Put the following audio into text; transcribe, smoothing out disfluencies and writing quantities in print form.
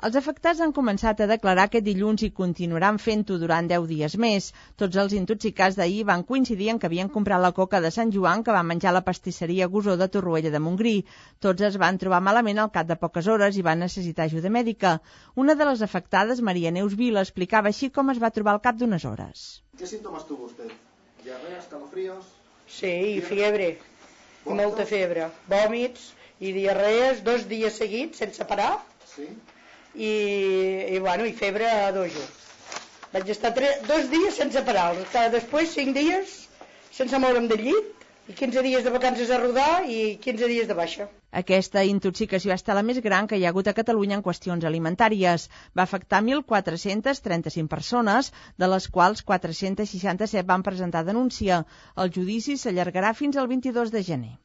Els afectats han començat a declarar aquest dilluns i continuaran fent-ho durant 10 dies més. Tots els intoxicats d'ahir van coincidir en que havien comprat la coca de Sant Joan que va menjar a la pastisseria Gusó de Torroella de Montgrí. Tots es van trobar malament al cap de poques hores i van necessitar ajuda mèdica. Una de les afectades, Maria Neus Vila, explicava així com es va trobar al cap d'unes hores. ¿Qué síntomas tuvo usted? ¿Diarrea, escalofríos? Sí, i fiebre, molta febre, vòmits i diarrees 2 dies seguits sense parar. Sí. I febre a dojo. Vaig estar 2 dies sense parar, després 5 dies sense moure'm del llit i 15 dies de vacances a rodar i 15 dies de baixa. Aquesta intoxicació ha estat la més gran que hi ha hagut a Catalunya en qüestions alimentàries. Va afectar 1.435 persones, de les quals 467 van presentar denúncia. El judici s'allargarà fins al 22 de gener.